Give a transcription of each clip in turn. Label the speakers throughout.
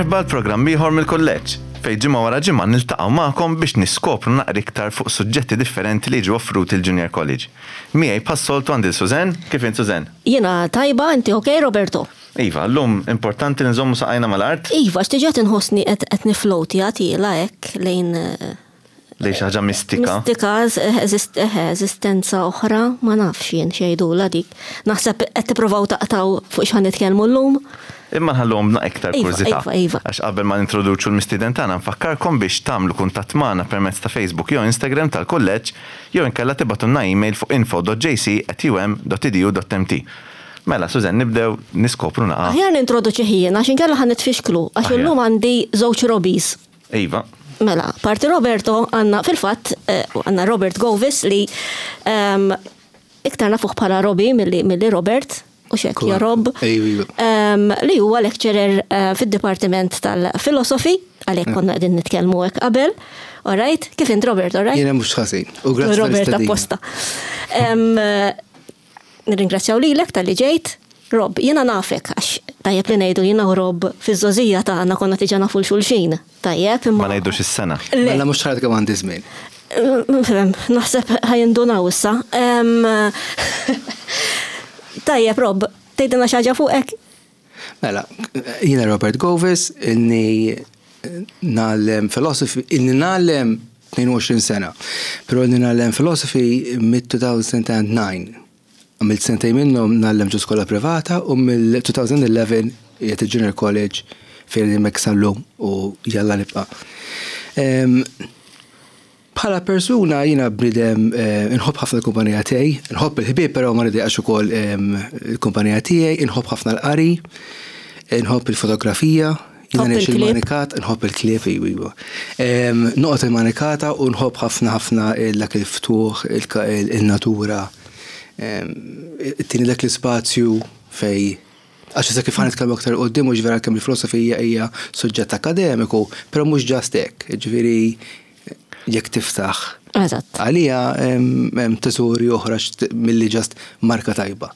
Speaker 1: Merħba għal programm ieħor mill-kulleġġ, fejn ġimgħa wara ġimgħa niltaqgħu magħkom biex niskopru naqra iktar fuq suġġetti differenti li jiġu offruti l-Junior College. Miegħi bħas-soltu għandi 'l Suzanne, kif int Suzanne?
Speaker 2: Jiena tajba, inti ok Roberto?
Speaker 1: Iva, llum importanti li nżommu saqajna mal-art.
Speaker 2: Iva, għax diġà qed inħossni qed qed niflowtja tiela' hekk lejn
Speaker 1: Lejn xi ħaġa mistika.
Speaker 2: Mistika, eżistenza oħra, ma nafx jien x'jgħidulha dik. Naħseb qed tippruvaw taqtgħu fuq x'ħa nitkellmu llum.
Speaker 1: Imma nħalluhom b'naqra iktar
Speaker 2: Iva,
Speaker 1: kurżità.
Speaker 2: iva, iva.
Speaker 1: Għax qabel ma nintroduċu l-mistieden tagħna nfakkarkom biex tagħmlu kuntatt magħna permezz ta' Facebook jew Instagram tal-Kulleġġ jew inkella tibgħatulna email fuq info.jc@um.edu.mt. Mela, Suzanne, nibdew niskopru naqa'.
Speaker 2: Aħjar nintroduċih jien għax inkella ħa nitfixklu għax illum għandi żewġ Robbies.
Speaker 1: Iva.
Speaker 2: Mela, parti Roberto għandna fil-fatt eh, għandna Robert Govis li ehm, iktar nafuh bħala Robbie milli Robert u xek ja Rob. Ehm, li huwa lecturer eh, fid-Dipartiment tal-Filosofi, għalhekk konna qegħdin nitkellmu hekk qabel. All right, kif int Robert, all right?
Speaker 3: Jiena mhux ħażin. U grazzi
Speaker 2: Robert apposta. Ehm, Nirringrazzjaw lilek talli ġejt. Rob, jiena nafek, għax tajjeb li ngħidu jiena u Rob fiż-żgħożija tagħna konna diġà nafu 'l xulxin. Tajjeb,
Speaker 1: imma. Ma ngħidux is-sena.
Speaker 2: Le.
Speaker 3: Mela mhux ħadd kemm għandi żmien.
Speaker 2: Naħseb ħa jindunaw issa. Tajjeb, Rob, tgħidilna xi ħaġa fuqek?
Speaker 3: Mela, jiena Robert Govis, ilni ngħallem philosophy, ilni ngħallem 22 sena, però ilni ngħallem philosophy mid-2009. Għamilt sentejn minnhom ngħallem ġo skola privata u mill-2011 qiegħed il-Junior College fejn hemmhekk sal-lum u jalla nibqa'. Bħala persuna jiena bniedem inħobb ħafna l-kumpanija tiegħi, inħobb il-ħbieb però ma nidejqax ukoll il-kumpanija tiegħi, inħobb ħafna l-qari, inħobb il-fotografija, jiena ngħix il-manikat, inħobb il-klieb iva iva. Noqgħod il-manikata u nħobb ħafna ħafna dak il-ftuħ, il-natura, tini dak l-ispazju fejn Għax issa kif ħa nitkellmu aktar 'il quddiem mhux vera kemm il-filosofija hija suġġett akkademiku, però mhux just hekk, jiġifieri jekk tiftaħ
Speaker 2: Eżatt.
Speaker 3: Għalija hemm teżori oħra milli just marka tajba.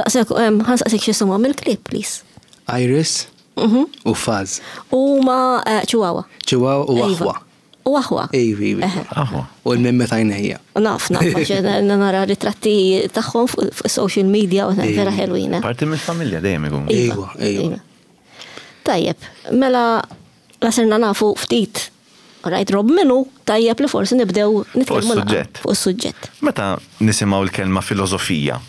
Speaker 2: Daqshekk ħa nsaqsik x'isimhom il-klieb please.
Speaker 3: Iris u Fuzz.
Speaker 2: U huma Chihuahua.
Speaker 3: Chihuahua u aħwa.
Speaker 2: U aħwa.
Speaker 3: Ivi, ivi.
Speaker 1: Aħwa.
Speaker 3: U l-mimmi tajnejja.
Speaker 2: Naf, naf, għax nara ritratti tagħhom fuq social media u vera ħelwin. Eh.
Speaker 1: Parti mill-familja dejjem ikun.
Speaker 3: Iva, iva.
Speaker 2: Tajjeb, mela la sirna nafu ftit Rajt Rob minu, tajjeb li forsi nibdew nitkellmu fuq is-suġġett.
Speaker 1: Meta nisimgħu l-kelma filosofija,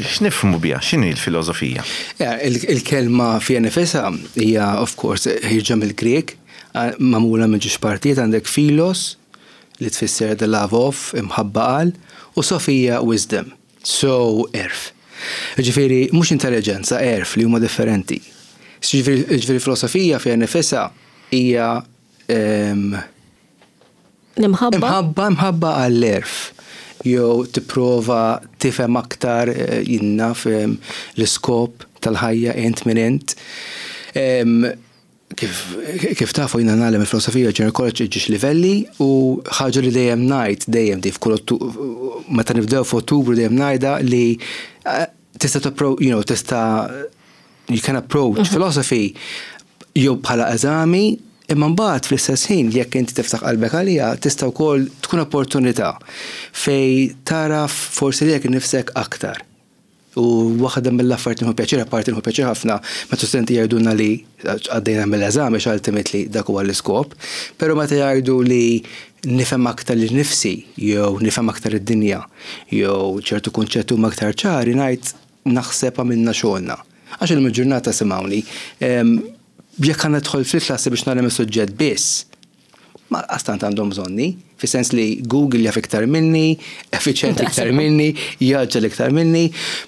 Speaker 1: x'nifhmu biha? X'inhi l-filosofija?
Speaker 3: Il-kelma fiha nifisha hija of course ħierġa mill-Grieg, magħmula minn ġiex partijiet għandek philos li tfisser the love of, imħabba għal, u sophia wisdom. So għerf. Jiġifieri mhux intelliġenza, għerf li huma differenti. Jiġifieri filosofija fiha nifisha hija
Speaker 2: L-imħabba?
Speaker 3: Imħabba, imħabba għall-għerf. Jew tipprova tifhem aktar jien naf l-iskop tal-ħajja int min int. Kif, kif tafu jiena ngħallem il-filosofija Junior College ġiex livelli u ħaġa li dejjem ngħid dejjem di f'kull meta nibdew f'Ottubru dejjem ngħidha li eh, tista' you know, tista' you can approach mhm. philosophy jew bħala eżami imma mbagħad fl-istess ħin jekk inti tiftaħ qalbek għaliha tista' wkoll tkun opportunità fej taraf forsi lilek innifsek aktar. U waħda mill-affarijiet li nieħu pjaċir, apparti nieħu pjaċir ħafna meta studenti jgħidulna li għaddejna mill-eżami għax ultimately dak huwa l-iskop, però meta jgħidu li nifhem aktar lil nifsi jew nifhem aktar id-dinja jew ċertu kunċetti huma aktar ċari ngħid naħseb għamilna xogħolna. Għax illum il-ġurnata simgħuni, jekk ħa nidħol fil-klassi biex nagħlem is-suġġett biss, Ma lanqas tant għandhom bżonni, fis-sens li Google jaf iktar minni, effiċjenti iktar minni, jgħaġġel iktar minni,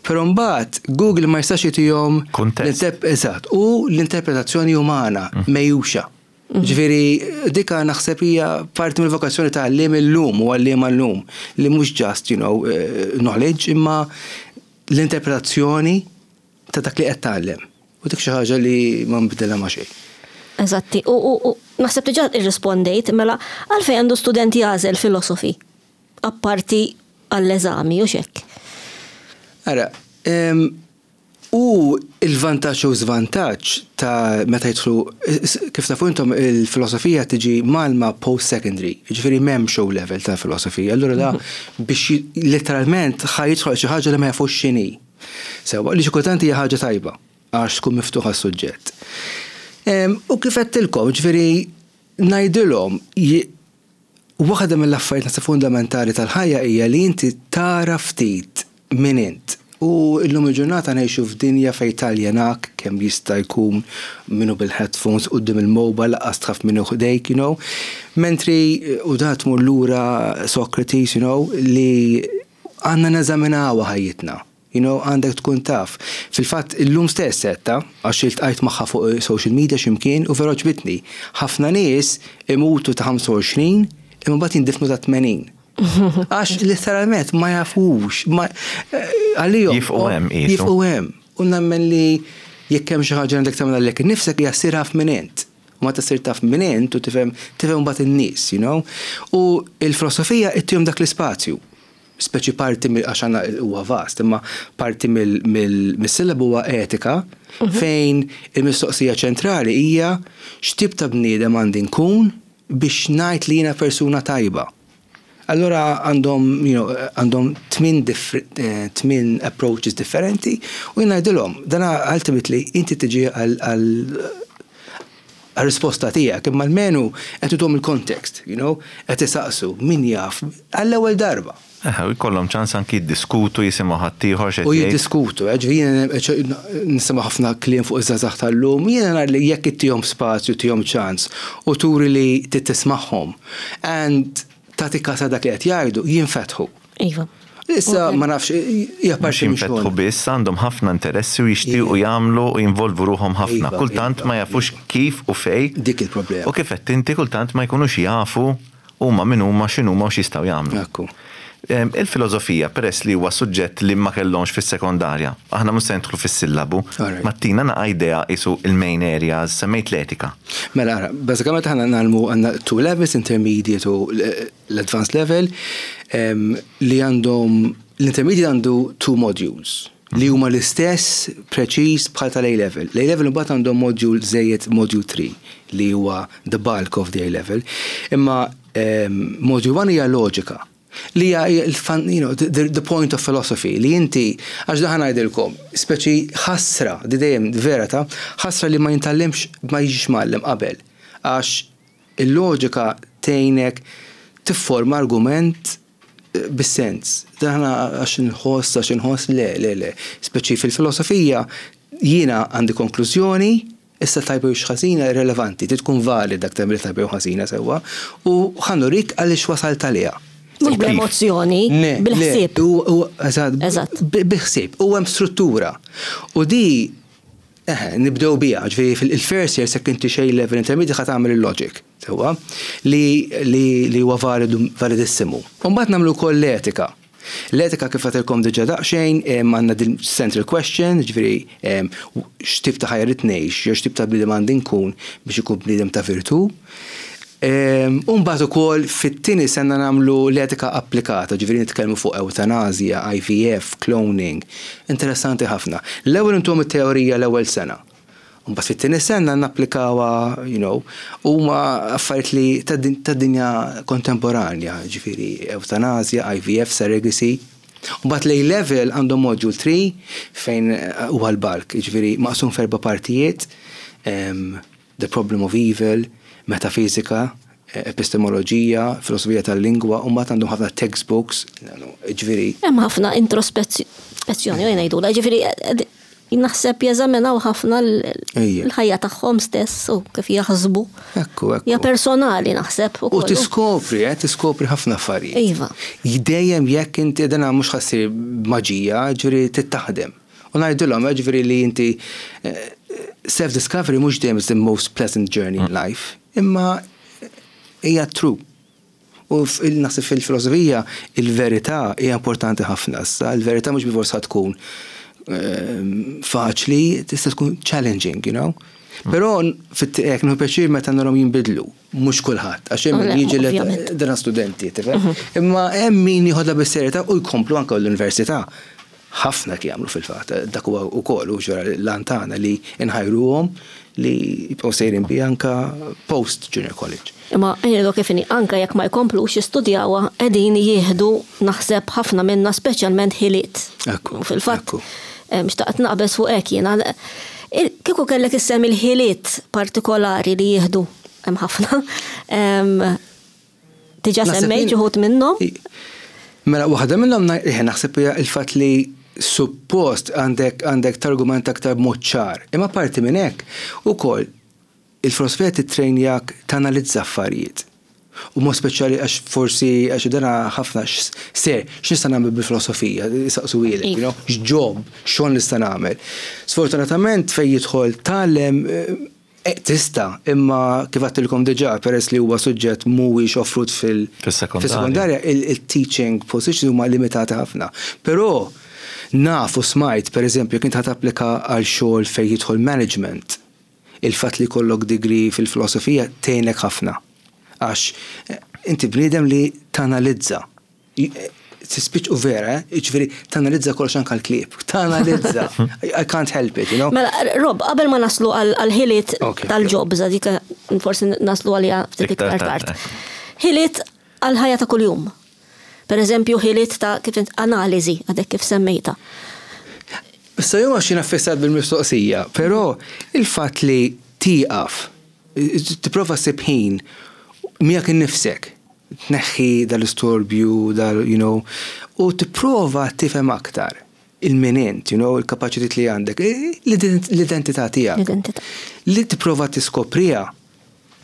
Speaker 3: però mbagħad Google ma jistax jitihom
Speaker 1: Kuntest.
Speaker 3: Eżatt, u l-interpretazzjoni umana mm. mejjuxa. Mm. Ġifieri dika naħseb hija parti mill-vokazzjoni ta' għalliem illum u għalliema llum li mhux just, you know, eh, knowledge imma l-interpretazzjoni ta' dak li qed tgħallem. U dik xi ħaġa li ma nbidilha ma' xejn.
Speaker 2: Eżatti, u naħseb diġà irrispondejt, mela għalfejn għandu student jagħżel filosofi apparti għall-eżami u x'hekk?
Speaker 3: Ara, U il-vantaġġ u żvantaġġ ta' meta jidħlu, kif tafu intom il-filosofija tiġi mgħallma post-secondary, jiġifieri m'hemmx O level ta' filosofija, allura da biex letteralment ħa jidħol xi ħaġa li ma jafux x'inhi. Sewwa, li xi kultant hija ħaġa tajba għax tkun miftuħ għas-suġġett. U kif għedtilkom, jiġifieri ngħidilhom Waħda mill-affarijiet naħseb fundamentali tal-ħajja hija li inti tara ftit min int. U llum il-ġurnata ngħixu f'dinja fejn taljenak kemm jista' jkun min hu bil-headphones quddiem il-mobile lanqas taf min hu ħdejk, you know. Mentri, u da tmur lura Socrates, you know, li għandna neżaminawha ħajjitna. You know, għandek tkun taf. Fil-fatt, illum stess għedtha, għax iltqajt magħha fuq social media xi mkien u vera għoġbitni. Ħafna nies imutu ta' 25 imma mbagħad jindifnu ta' 80. Għax letteralment ma jafux, ma għalihom.
Speaker 1: Jifqu hemm qisu.
Speaker 3: Jifqu hemm. U nemmen li jekk hemm xi ħaġa li għandek tagħmel għalek innifsek hija ssir af min int. U meta ssir taf min int u tifhem tifhem mbagħad in-nies, you know. U l-filosofija ittihom dak l-ispazju. Speċi parti mill għax għandna huwa vast, imma parti mis-sillabu huwa etika fejn il-mistoqsija ċentrali hija x'tip ta' bniedem għandi nkun biex ngħid li jiena persuna tajba. Allura għandhom you know, għandhom tmien approaches differenti u jien ngħidilhom dan ultimately inti tiġi għal għar-risposta tiegħek, imma almenu qed ituhom il-context, you know, qed isaqsu min jaf għall-ewwel darba.
Speaker 1: Eħe, u jkollhom ċans anki jiddiskutu, jisimgħu ħaddieħor x'qed
Speaker 3: jgħid. U jiddiskutu, eh, ġifieri jiena nisimgħu ħafna kliem fuq iż-żgħażagħ tal-lum, jiena nara li jekk ittihom spazju, tihom ċans u turi li trid tismagħhom and tagħti kas ta' dak li qed jgħidu, jinfetħu.
Speaker 2: Iva.
Speaker 3: Issa ma nafx, hija parti
Speaker 1: minn xogħol. biss għandhom ħafna interessi u jixtiequ jagħmlu u jinvolvu ruħhom ħafna. Iva, kultant iva, ma jafux iva. kif u fej.
Speaker 3: Dik il-problema.
Speaker 1: U kif qed inti kultant ma jkunux jafu huma min huma x'inhuma u x'jistgħu jagħmlu.
Speaker 3: Ekku.
Speaker 1: Il-filosofija peress li huwa suġġett li ma kellhomx fis-sekondarja, aħna mhux se nidħlu fis-sillabu, ma tina naqa' idea qisu il-main areas, semmejt l-etika.
Speaker 3: Mela ara, bażikament aħna ngħallmu għandna two levels, intermediate u l-advanced level, li għandhom l-intermediate għandu two modules li huma l-istess preċiż bħal tal-A level. L-A level imbagħad għandhom module żejjed module 3 li huwa the bulk of the A level. Imma module 1 hija loġika li hija you know, the, the point of philosophy li inti għax daħan ngħidilkom, speċi ħasra, di dejjem vera ta' ħasra li ma jintallimx ma jiġix mgħallem qabel. Għax Il-loġika tgħinek tifforma argument bis-sens. Dan għax inħoss, għax inħoss, le, le, le. Speċi fil-filosofija jiena għandi konklużjoni, issa tajba jew ħażina irrelevanti, trid tkun valida dak li tajba jew ħażina sewwa, u ħa nurik għaliex wasalt għaliha.
Speaker 2: Mhux bl-emozzjoni, bil-ħsieb.
Speaker 3: Eżatt, bil-ħsieb. U hemm struttura. U di Eħe, nibdew biha, ġifieri fil-first year sekk inti xejn level intermediate ħa tagħmel il-logic, sewwa, li li huwa validu validissimu. U mbagħad nagħmlu wkoll l-etika. L-etika kif għedtilkom diġà daqsxejn għandna din central question, ġifieri x'tip ta' ħajja rrid ngħix jew x'tip ta' bniedem għandi nkun biex ikun bniedem ta' virtù. U mbagħad ukoll fit-tieni sena nagħmlu l-etika applikata, ġifieri nitkellmu fuq ewtanasja, IVF, cloning. Interessanti ħafna. L-ewwel intuhom it-teorija l-ewwel sena. U mbagħad fit-tieni sena napplikawha, you know, huma affarijiet li tad-dinja kontemporanja, ġifieri ewtanasja, IVF, surrogacy. U mbagħad l-A level għandhom module 3 fejn huwa l-bulk, jiġifieri maqsum f'erba' partijiet. The Problem of Evil, Metafisika, Epistemoloġija, Filosofija tal-Lingwa, u mbagħad għandhom ħafna textbooks, ġifieri.
Speaker 2: Hemm ħafna introspezzjoni, u ngħidulha, ġifieri naħseb jeżaminaw ħafna l-ħajja tagħhom stess u kif jaħsbu.
Speaker 3: Ekku, ekku.
Speaker 2: Hija personali naħseb
Speaker 3: ukoll. U tiskopri, eh, tiskopri ħafna affarijiet.
Speaker 2: Iva.
Speaker 3: Dejjem jekk inti dana mhux ħa ssir maġija, ġifieri trid taħdem. U ngħidilhom, jiġifieri li inti self-discovery mhux dejjem is the most pleasant journey in life, imma hija true. U naħseb fil-filosofija il-verità hija importanti ħafna. Issa il-verità mhux bilfors ħa tkun faċli, tista' tkun challenging, you know. Però hekk nieħu pjaċir meta narhom jinbidlu, mhux kulħadd, għax hemm min jiġi dana studenti, tifhem? Imma hemm min jieħodha bis-serjetà u jkomplu anke l-università. Ħafna qed jagħmlu fil-fatt, dak huwa wkoll u ġara l-għan tagħna li nħajruhom li jibqgħu sejrin bi anka post junior college.
Speaker 2: Imma ngħidu kif inhi, anke jekk ma jkomplux jistudjawha qegħdin jieħdu naħseb ħafna minnha speċjalment ħiliet.
Speaker 3: Ekku.
Speaker 2: U fil-fatt xtaqt naqbeż fuq hekk jiena. Kieku kellek issemmi l-ħiliet partikolari li jieħdu hemm ħafna. Diġà semmejt xi wħud minnhom.
Speaker 3: Mela waħda minnhom naħseb hija l-fatt li suppost għandek għandek targumenta aktar b'mod ċar. Imma parti minn hekk ukoll il-filosofija tittrejnjak tanalizza affarijiet. U mod speċjali għax forsi għax dana ħafna ser, x'nista' nagħmel bil-filosofija, saqsuhielek, you know, x'job, xogħol nista' nagħmel. Sfortunatament fejn jidħol tgħallem Tista', imma kif għedtilkom diġà, peress li huwa suġġett mhuwiex offrut fis-sekondarja, il-teaching positions huma limitati ħafna. Però naf u smajt, pereżempju, jekk int ħa tapplika għal xogħol fejn jidħol management, il-fatt li jkollok degree fil-filosofija tgħinek ħafna. Għax inti bniedem li tanalizza. Tispiċ u vera, eh? Ġifieri tanalizza kollox anke l-klieb. Tanalizza. I can't help it, you know?
Speaker 2: Mela, Rob, qabel ma naslu għal-ħiliet tal-jobs, dik forsi naslu għalija ftit iktar tard. Ħiliet għal-ħajja ta' kuljum. Per eżempju, ħiliet ta' kif analiżi, għadek kif semmejta.
Speaker 3: Issa jew għax jiena ffissat bil-mistoqsija, però il-fatt li tieqaf, tipprova ssib ħin miegħek innifsek, tneħħi dal-istorbju, dal, you know, u tipprova tifhem aktar il-min int, you know, il-kapaċitajiet li għandek, l-identità tiegħek.
Speaker 2: L-identità.
Speaker 3: Li tipprova tiskopriha,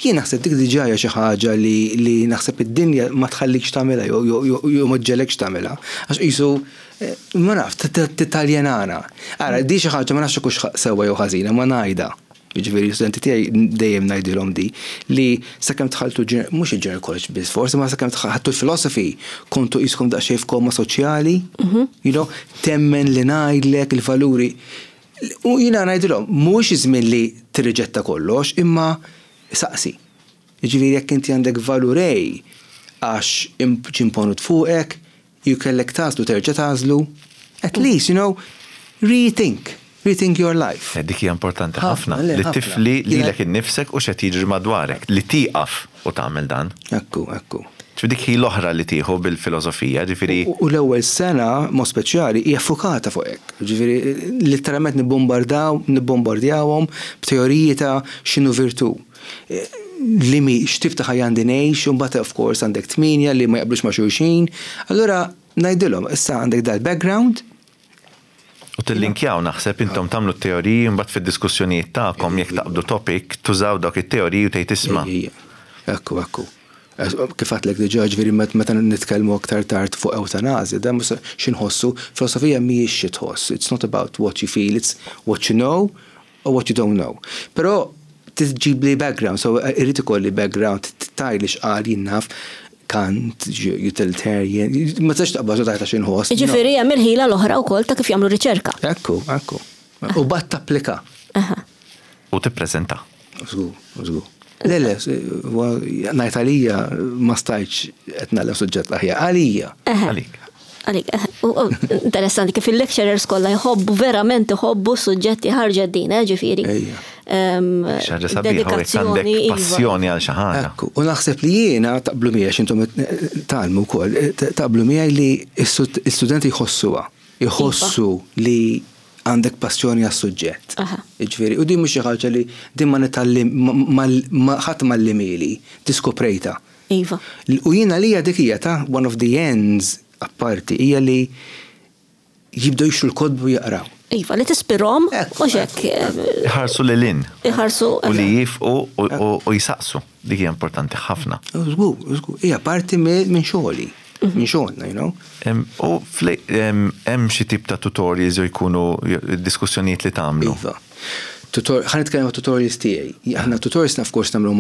Speaker 3: jien naħseb dik diġà hija xi ħaġa li, li naħseb id-dinja ma tħallikx tagħmilha jew jew ma ġġegħlekx tagħmilha. Għax qisu ma naf, titaljenana. Ara, di xi ħaġa ma nafx hekk hux sewwa jew ħażina, ma ngħidha. Jiġifieri l-istudenti tiegħi dejjem ngħidilhom di li sakemm dħaltu mhux il-junior college biss forsi ma sakemm ħadtu l-philosophy kontu qiskom daqsxejn f'koma soċjali, you know, temmen li ngħidlek il-valuri. U jiena ngħidilhom mhuwiex iż-żmien li tirriġetta kollox imma saqsi. Jiġifieri jekk inti għandek valur A għax ġie imponut fuqek, Jew kellek tagħżlu terġa' tagħżlu, at least, you know, rethink, rethink your life.
Speaker 1: Dik hija importanti ħafna, li tifli lilek innifsek u x'qed jiġri madwarek, li tieqaf u tagħmel dan.
Speaker 3: Ekku, ekku.
Speaker 1: Ġifieri dik hi l-oħra li tieħu bil-filosofija, ġifieri.
Speaker 3: U l-ewwel sena, mod speċjali, hija ffukata fuq hekk. Ġifieri litteralment nibbombardaw, nibbombardjawhom b'teoriji ta' x'inhu virtù. Li mi, x'tip ta' ħajja għandi ngħix, u mbagħad of course għandek tmienja li ma jaqblux ma' xulxin. Allura ngħidilhom, issa għandek dal-background.
Speaker 1: U tillinkjaw naħseb intom tagħmlu t-teoriji mbagħad fid-diskussjonijiet tagħkom jekk taqbdu topic tużaw dawk it-teoriji u tgħid isma'.
Speaker 3: Ekku, ekku. Kif għedtlek diġà, ġifieri meta nitkellmu aktar tard fuq ewtanasja, dan mhux xi nħossu, filosofija mhijiex xi tħoss, it's not about what you feel, it's what you know or what you don't know. Però trid ġibli background, so irrid ikolli background, tgħidli x'qal jien naf Kant, utilitarian, ma tistax taqbad u tgħid għax inħoss.
Speaker 2: Jiġifieri hemm il-ħila l-oħra wkoll ta' kif jagħmlu riċerka.
Speaker 3: Ekku, ekku. U bad tapplika.
Speaker 1: U tippreżenta.
Speaker 3: Żgur, żgur. Le, le, ngħid għalija ma stajtx qed nagħlem suġġett aħjar. Għalija.
Speaker 1: Għalik.
Speaker 2: Għalik, interessanti kif il-lecturers kollha jħobbu verament iħobbu suġġetti ħarġet din, eh, ġifieri.
Speaker 1: Xaġa sabiħa għandek iva. passjoni għal xi ħaġa.
Speaker 3: U naħseb li jiena taqblu miegħi x'intom tgħallmu wkoll, taqblu miegħi li s-studenti jħossuha, jħossu iva. li għandek passjoni għas-suġġett. Jiġifieri, u din mhux xi ħaġa li din ma nitgħallim ħadd m'għallimhieli, diskoprejtha.
Speaker 2: Iva.
Speaker 3: U jien għalija dik hija ta' one of the ends apparti hija li jibdew jixtru l-kotba u jaqraw.
Speaker 2: Iva, li tispirhom u x'hekk.
Speaker 1: Iħarsu lil hinn.
Speaker 2: Iħarsu.
Speaker 1: U li jifqu u jsaqsu. Dik hija importanti ħafna.
Speaker 3: Żgur, żgur. Hija parti minn xogħli. Minn xogħolna, you know.
Speaker 1: U hemm xi tip ta' tutorials jew jkunu diskussjonijiet li tagħmlu?
Speaker 3: Iva. Ħa nitkellem għat tutorials tiegħi. Aħna tutorials of course nagħmlu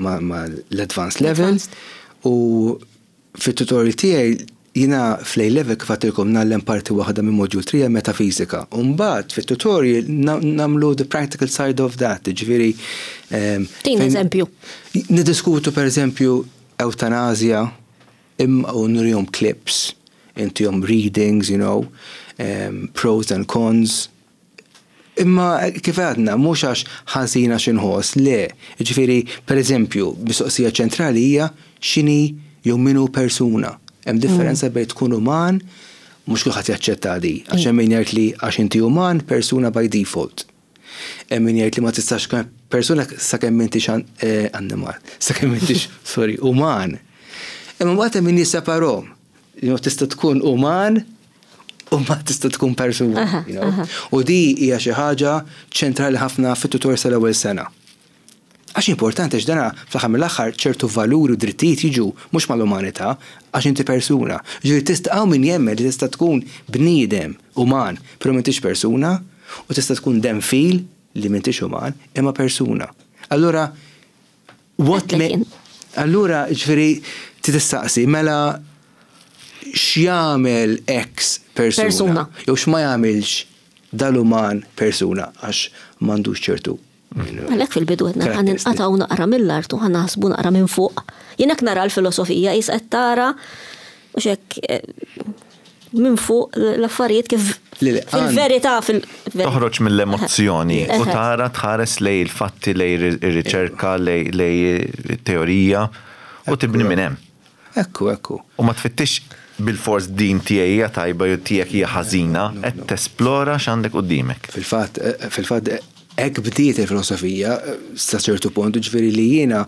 Speaker 3: mal-advanced level u fit-tutorial tiegħi jiena fl-A level kif għedtilkom ngħallem parti waħda minn module 3 metafisika. U mbagħad fit-tutorial nagħmlu the practical side of that, jiġifieri.
Speaker 2: Tina eżempju.
Speaker 3: Niddiskutu pereżempju ewtanasja imma u nurihom clips. intihom readings, you know, pros and cons. Imma kif għadna, mhux għax ħażin għax inħoss, le. Jiġifieri, pereżempju, mistoqsija ċentrali hija x'inhi jew min hu persuna. Hemm differenza bejn tkun uman, mhux kulħadd jaċċetta di, għax hemm min jgħid li għax inti uman, persuna by default. Hemm min jgħid li ma tistax tkun persuna sakemm m'intix annimal, sakemm m'intix, sorry, uman. Imma mbagħad hemm min jisseparhom. You know, tista' tkun uman u ma tista' tkun persuna. You know? U di hija xi ħaġa ċentrali ħafna fit-tutor sal-ewwel sena. Għax importanti għax dana fl-aħħar mill-aħħar ċertu valuri u drittijiet jiġu mhux mal-umanità għax inti persuna. Ġifieri tista' hawn min jemmen li tista' tkun bniedem uman, però m'intix persuna, u tista' tkun denfil li m'intix uman, imma persuna. Allura What Allura, ġifieri, trid tistaqsi, mela x'jagħmel X persuna? Jew x'ma jagħmilx dal-uman persuna għax m'għandux ċertu.
Speaker 2: Għalhekk fil-bidu għedna ħa ninqatgħu naqra mill-art u ħa naħsbu naqra minn fuq. Jien hekk nara l-filosofija qis qed tara u x'hekk eh, minn fuq l-affarijiet kif fil-verità fil
Speaker 1: Toħroġ mill-emozzjoni u tara tħares lej il-fatti, lej ir-riċerka, lej teorija u tibni minn hemm.
Speaker 3: Ekku, ekku.
Speaker 1: U ma tfittix bilfors din tiegħi hija tajba jew tiegħek hija ħażina, qed tesplora x'għandek quddiemek.
Speaker 3: Fil-fatt, fil-fatt hekk bdiet il-filosofija sa ċertu punt, ġifieri li jiena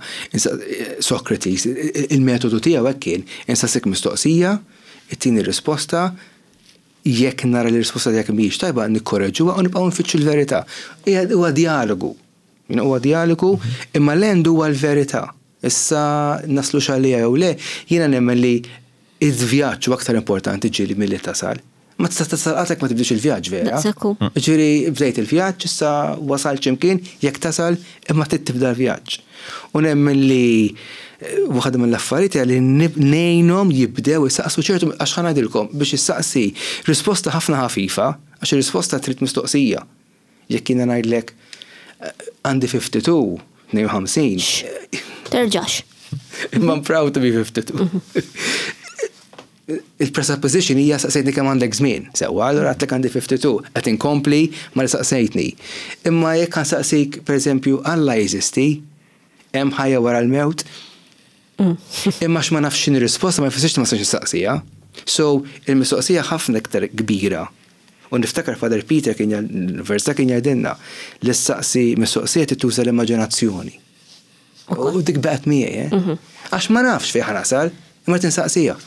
Speaker 3: Socrates, il-metodu tiegħu hekk kien, insaqsik mistoqsija, Ittini risposta, jekk nara li r-risposta tiegħek mhijiex tajba nikkoreġuha u nibqgħu nfittxu l-verità. Huwa djalogu. Huwa djalogu, imma l-end huwa l-verità. Issa naslux għaliha jew le, jiena nemmen li il-vjaġġ huwa aktar importanti ġieli milli tasal. Ma tista' tasal qatt jekk ma tibdiex il-vjaġġ vera.
Speaker 2: Daqshekk hu.
Speaker 3: Ġifieri bdejt il-vjaġġ, issa wasalt xi mkien, jekk tasal imma trid tibda l-vjaġġ. U nemmen li waħda mill-affarijiet hija li ngħinhom jibdew isaqsu ċertu għax ħa ngħidilkom biex issaqsi risposta ħafna ħafifa għax ir-risposta trid mistoqsija. Jekk jiena ngħidlek għandi 52, 52.
Speaker 2: Terġax.
Speaker 3: Imma I'm proud to be 52. Il-presupposition hija saqsejtni kemm għandek żmien. Sewwa, allura għedtlek għandi 52, qed inkompli ma li saqsejtni. Imma jekk ħa nsaqsik, pereżempju, Alla jeżisti? Hemm ħajja wara l-mewt? Imma għax ma nafx x'inhi r-risposta ma jfissirx li ma nistax nistaqsiha. So, il-mistoqsija ħafna iktar kbira. U niftakar Father Peter kien l-università kien jgħidilna li ssaqsi mistoqsija trid tuża l-immaġinazzjoni. U dik baqgħet miegħi, eh? Mhm. Għax ma nafx fejn ħanasal, imma tinsaqsija.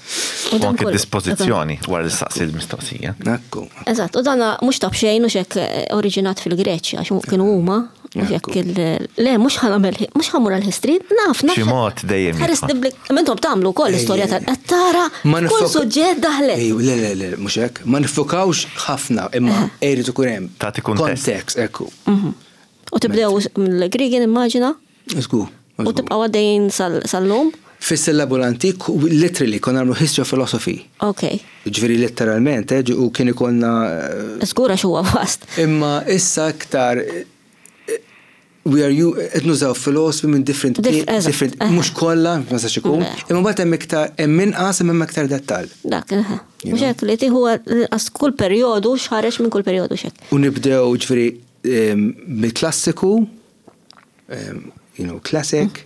Speaker 1: U anke dispożizzjoni wara li saqsi l-mistoqsija.
Speaker 3: Ekku.
Speaker 2: Eżatt, u dana mhux ta' b'xejn u xek eh, oriġinat fil-Greċja, għax kienu huma, u xek il le mhux ħanamel mhux ħamur għall-history, naf naf.
Speaker 1: Xi mod dejjem.
Speaker 2: Ħares Intom tagħmlu wkoll l-istorja tal qed tara kull suġġett daħlet.
Speaker 3: Le, le, le, mhux hekk. Ma nifukawx ħafna imma irid ikun hemm.
Speaker 1: Tagħti kuntest.
Speaker 3: Kontekst, ekku.
Speaker 2: Mhm. U tibdew mill-Griegi nimmaġina?
Speaker 3: Żgur.
Speaker 2: U tibqgħu għaddejjin sal-lum?
Speaker 3: Fis-sillabu l-antik, literally, konna nagħmlu history of philosophy.
Speaker 2: Ok.
Speaker 3: Ġifieri letteralment, eh, u kien ikollna.
Speaker 2: Żgur għax huwa vast.
Speaker 3: Imma issa iktar we are you qed nużaw philosophy minn different different mhux kollha ma sax ikun, imma mbagħad hemm iktar hemm inqas imma hemm iktar dettall.
Speaker 2: Dak, mhux hekk li tieħu inqas kull perjodu x'ħareġ minn kull perjodu x'hekk.
Speaker 3: U nibdew ġifieri mill-klassiku, you know, classic,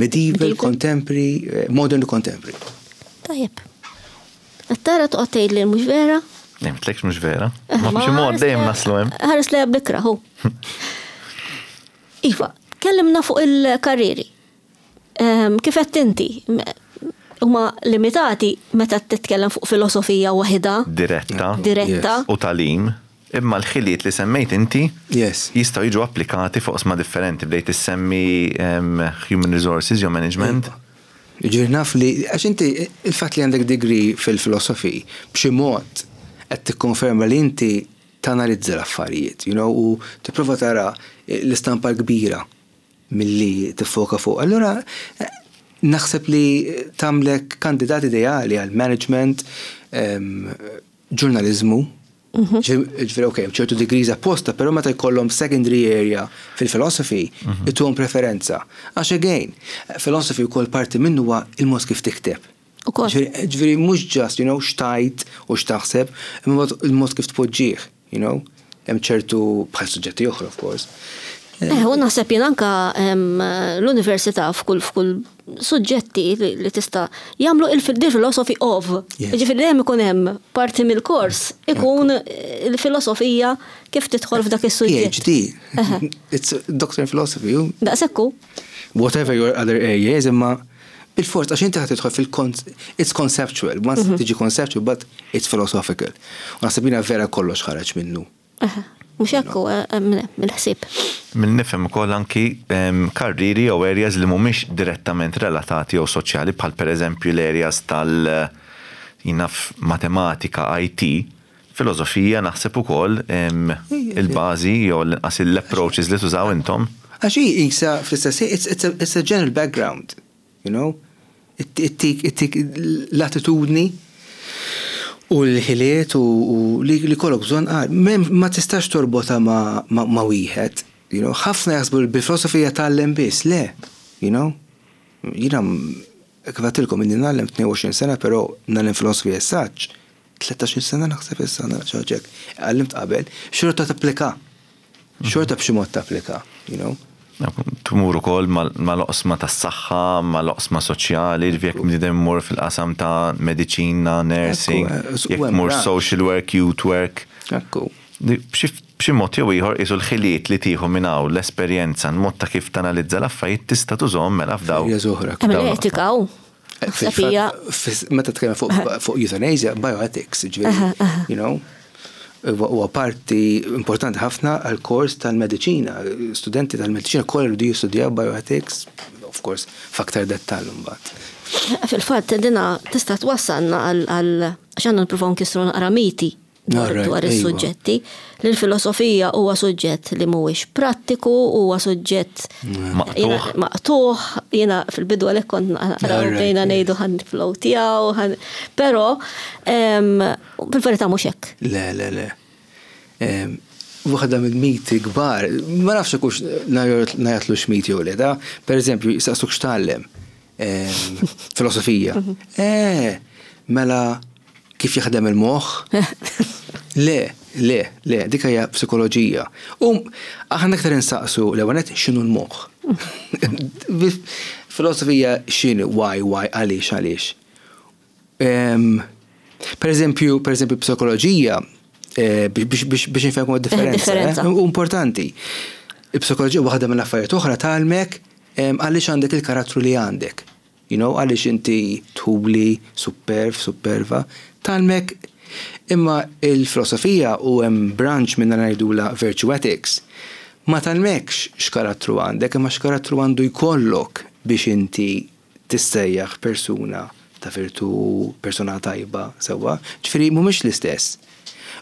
Speaker 3: medieval, contemporary, eh, modern contemporary.
Speaker 2: Tajjeb. Tara toqgħod tgħid li mhux vera?
Speaker 1: Nemtlekx mhux vera. Eh, ma b'xi mod dejjem naslu hemm.
Speaker 2: Ħares li bikra hu. Iva, kellimna fuq il-karriri. Kif għedt inti, huma limitati meta titkellem fuq filosofija waħidha.
Speaker 1: Diretta.
Speaker 2: Diretta.
Speaker 1: U tagħlim. Imma l-ħiliet li semmejt inti jistgħu jiġu applikati fuq oqsma differenti. Bdejt issemmi human resources jew management.
Speaker 3: Jiġifieri naf li, għax inti il-fatt li għandek degree fil-philosophy b'xi mod qed tikkonferma li inti tanalizza l-affarijiet, you know, u tipprova tara l-istampa l-kbira. milli tiffoka fuq. Allura naħseb li tagħmlek kandidat ideali għal management, ġurnaliżmu. Mhm. Ġifieri ok, ċertu degrees apposta, però meta jkollhom secondary area fil-philosophy, mhm. ituhom preferenza. Għax again, philosophy wkoll parti minnu huwa il-mod kif tikteb.
Speaker 2: Ukoll.
Speaker 3: Ġifieri mhux just, you know, x'tgħid u x'taħseb, imma il-mod kif tpoġġih, you know. Hemm ċertu bħal suġġetti oħra, of course.
Speaker 2: Eh, u naħseb jien anka l-università f'kull f'kull suġġetti li tista' jagħmlu il-philosophy of. Ġifieri dejjem ikun hemm parti mill-kors ikun il-filosofija kif tidħol f'dak is-suġġett.
Speaker 3: PhD. It's a doctor in philosophy.
Speaker 2: Daqshekk hu.
Speaker 3: Whatever your other area is, imma bil-fors għax inti ħa tidħol fil it's conceptual, once tiġi conceptual, but it's philosophical. U naħseb jiena vera kollox ħareġ minnu.
Speaker 2: Mhux hekk hu mill-ħsieb.
Speaker 1: Milli nifhem ukoll anki karrieri jew areas li mhumiex direttament relatati jew soċjali bħal pereżempju l-areas tal jien naf matematika, IT, filosofija naħseb ukoll il-bażi jew l-inqas l-approaches li tużaw intom.
Speaker 3: Għax hi qisha fl-istess ħin it's a general background. You know? Ittik ittik l-attitudni u l-ħiliet u li jkollok bżonn għal. Ma tistax torbotha ma' wieħed. You know? Ħafna jaħsbu li bil-filosofija tgħallem biss. Le. You know? Jiena kif għedtilkom inni ngħallem 22 sena però ngħallem filosofija issa 13-il sena naħseb issa xi ħaġa hekk. Għallimt qabel, xorta tapplika. Xorta b'xi mod tapplika, you know.
Speaker 1: Tmur ukoll mal-oqsma tas-saħħa, mal-oqsma soċjali, ġifieri jekk bniedem imur fil-qasam ta' mediċina, nursing, jekk tmur social work, youth work.
Speaker 3: Ekku.
Speaker 1: B'xi mod jew ieħor qisu l-ħiliet li tieħu minn hawn, l-esperjenza, l-mod ta' kif tanalizza l-affarijiet tista' tużahom mela f'dawn.
Speaker 3: Areas oħra.
Speaker 2: Hemm l-etika u naħseb hija.
Speaker 3: Meta tkellem fuq euthanasia, bioethics, ġifieri, you know. Huwa parti importanti ħafna għall-kors tal-mediċina. Studenti tal-mediċina kollha jridu jistudjaw bioethics, of course, f'aktar dettall imbagħad.
Speaker 2: Fil-fatt, dina tista' twassalna għal għax għandna nippruvaw nkissru naqra miti dwar is-suġġetti. Li l-filosofija huwa suġġett li mhuwiex prattiku, huwa suġġett
Speaker 1: maqtugħ.
Speaker 2: Maqtugħ, jiena fil-bidu għalhekk kont naqra bdejna ngħidu ħa niflowtjaw, però Fil-verità mhux hekk.
Speaker 3: Le, le, le. Waħda mill-miti kbar, ma nafx hekk hux ngħajjatlux miti jew le, da, pereżempju, jistaqsuk x'tgħallem. Filosofija. Eh, mela kif jaħdem il-moħħ? Le, le, le, dik hija psikoloġija. U aħna aktar insaqsu l-ewwel nett x'inhu l-moħħ. Filosofija x'inhu, why, why, għaliex, għaliex. Per eżempju, per eżempju, psikoloġija, eh, biex nifhemkom id-differenza. Eh, u importanti. Il-psikoloġija waħda mill-affarijiet oħra tgħallmek għaliex għandek il-karattru li għandek. You know, għaliex inti tħubli, superv, superva. Tgħallmek imma il-filosofija u hemm branch minna ngħidula virtue ethics. Ma tgħallmekx x'karattru għandek, imma x'karattru għandu jkollok biex inti tissejjaħ persuna ta' virtù, persuna tajba, sewwa? Ġifieri mhumiex l-istess.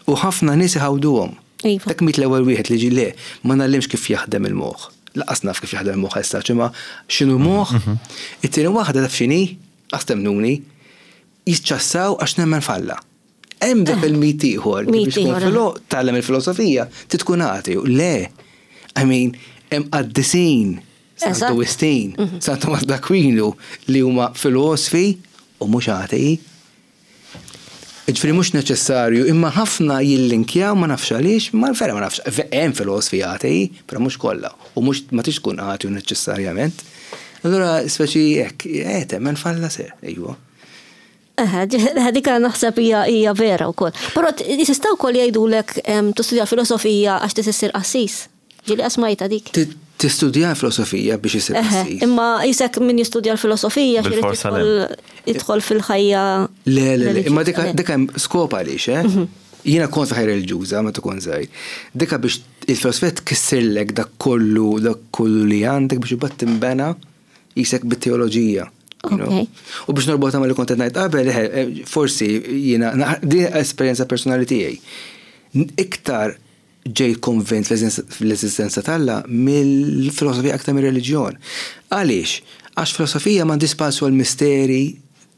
Speaker 3: U ħafna nies iħawduhom.
Speaker 2: Iva.
Speaker 3: Dak mit l-ewwel wieħed li ġie le, ma ngħallimx kif jaħdem il-moħħ. Lanqas naf kif jaħdem il-moħħ as such, imma x'inhu moħħ. It-tieni waħda taf x'inhi? Qas temmnuni. Jiċċassaw għax nemmen f'Alla. Hemm dak il-mit ieħor li biex tkun filo tgħallem il-filosofija trid tkun ateu. Le. I mean, hemm qaddisin Santu Wistin, San Tumas d'Aquinu li huma filosfi u mhux atei. Jiġifieri mhux neċessarju, imma ħafna jillinkjaw ma nafx għaliex, ma vera ma nafx, hemm filosfi atei, però mhux kollha, u mhux ma tridx tkun ateu neċessarjament. Allura speċi hekk, eh temmen f'Alla se, ejwa.
Speaker 2: Eħe, dik naħseb hija vera wkoll. Però tista' wkoll jgħidulek tistudja filosofija għax trid issir qassis. Ġieli smajtha dik.
Speaker 3: Tistudja l-filosofija biex issir qassis.
Speaker 2: Imma jisek min jistudja l-filosofija jidħol fil-ħajja.
Speaker 3: Le, le, le, imma dik hemm skop għaliex, eh? Mhm. Jiena kont fil-ħajja reliġjuża meta kont żgħir. Dika biex il-filosofija tkissirlek dak kollu, dak kollu li għandek biex imbagħad tinbena Qisek bit-teoloġija. U biex norbotha ma li kont qed ngħid qabel, eh, forsi jiena din esperjenza personali tiegħi. Iktar ġejt konvint fl-eżistenza t'Alla mill-filosofija aktar mir-reliġjon. Għaliex? Għax filosofija m'għandhiex spazju għal misteri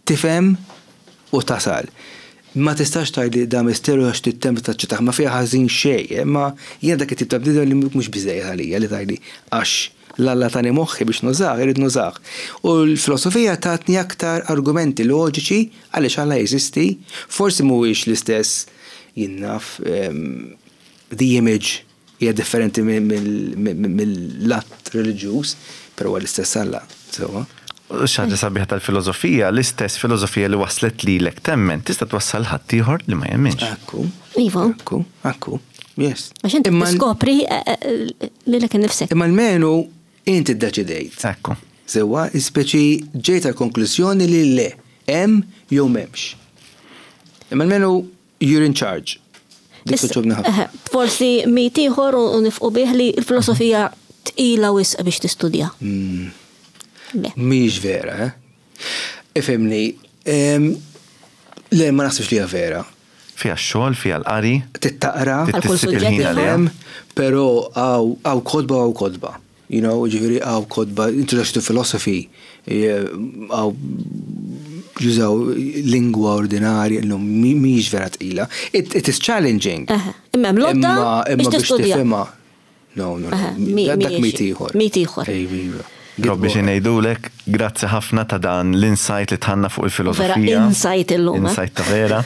Speaker 3: tifhem u tasal. Ma tistax tgħidli da misteru għax trid temmen taċċettah, ma fiha ħażin xejn, imma jiena dak it-tip ta' bniedem li mhux biżżejjed għalija li tgħidli għax. L-Alla tani moħħi biex nużah, irrid nużah. U l-filosofija tatni aktar argumenti loġiċi għaliex Alla jeżisti, forsi mhuwiex l-istess jien naf the image hija differenti mill-att reliġjuż, però huwa l-istess Alla, sewwa.
Speaker 1: U xi ħaġa sabiħa tal-filosofija, l-istess filosofija li wasslet lilek temmen, tista' twassal ħaddieħor li ma jemminx.
Speaker 3: Ekku.
Speaker 2: Iva.
Speaker 3: Ekku, ekku. Yes.
Speaker 2: Għax inti tiskopri eh, eh, lilek innifsek.
Speaker 3: Imma almenu inti ddeċidejt.
Speaker 1: Ekku.
Speaker 3: Sewwa, speċi ġejt għal konklużjoni li le, hemm jew m'hemmx. Imma almenu you're in charge. Dik togħġobni ħafna.
Speaker 2: Forsi mit ieħor u nifqu bih li l-filosofija tqila wisq biex tistudja.
Speaker 3: Hmm. Mhix vera, eh? Ifhimni, le ma naħsibx li hija vera.
Speaker 1: Fiha x-xogħol, fiha l-qari.
Speaker 3: Tittaqra.
Speaker 2: Għal kull suġġett.
Speaker 3: Però hawn kotba hawn kotba. You know, ġifieri hawn kotba, Introduction to Philosophy, hawn jużaw lingwa ordinarja, illum mhijiex vera tqila. It, it is challenging.
Speaker 2: Imma hemm lodda
Speaker 3: biex tifhimha. No, no, dak mit ieħor.
Speaker 2: Mit ieħor.
Speaker 3: Iva.
Speaker 1: Robbi xi ngħidulek, grazzi ħafna ta' dan l-insight li tħanna fuq il-filosofija.
Speaker 2: Vera insight illum. Eh?
Speaker 1: Insight ta' vera.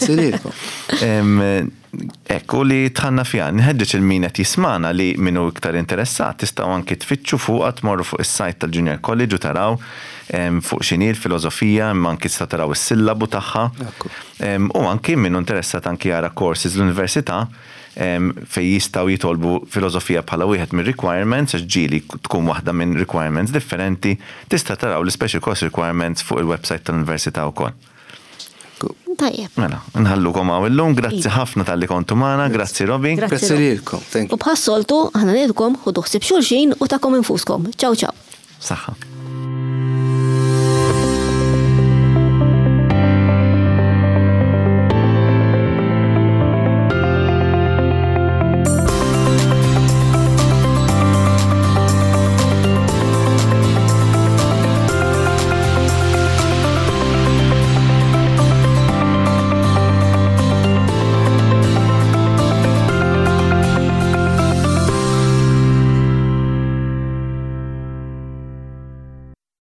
Speaker 1: Ekku li tħanna fiha. Nħeġġeġ il-min qed jismana li min hu iktar interessat tistgħu anki tfittxu fuqha tmorru fuq is-site tal-Junior College u taraw fuq x'inhi l-filosofija imma anki tista' taraw is-sillabu tagħha. U anki min hu interessat anki jara courses l-università fejn jistgħu jitolbu filosofija bħala wieħed mir-requirements għax ġieli tkun waħda minn requirements differenti, tista' taraw l-special course requirements fuq il-website tal-università wkoll.
Speaker 2: Tajjeb.
Speaker 1: Mela, nħallukom hawn illum, grazzi ħafna talli kontu magħna, grazzi Robi.
Speaker 3: Grazzi lilkom, thank
Speaker 2: you. U bħas-soltu, aħna ngħidulkom ħudu ħsieb xulxin u tagħkom infuskom. Ciao ciao.
Speaker 1: Saħħa.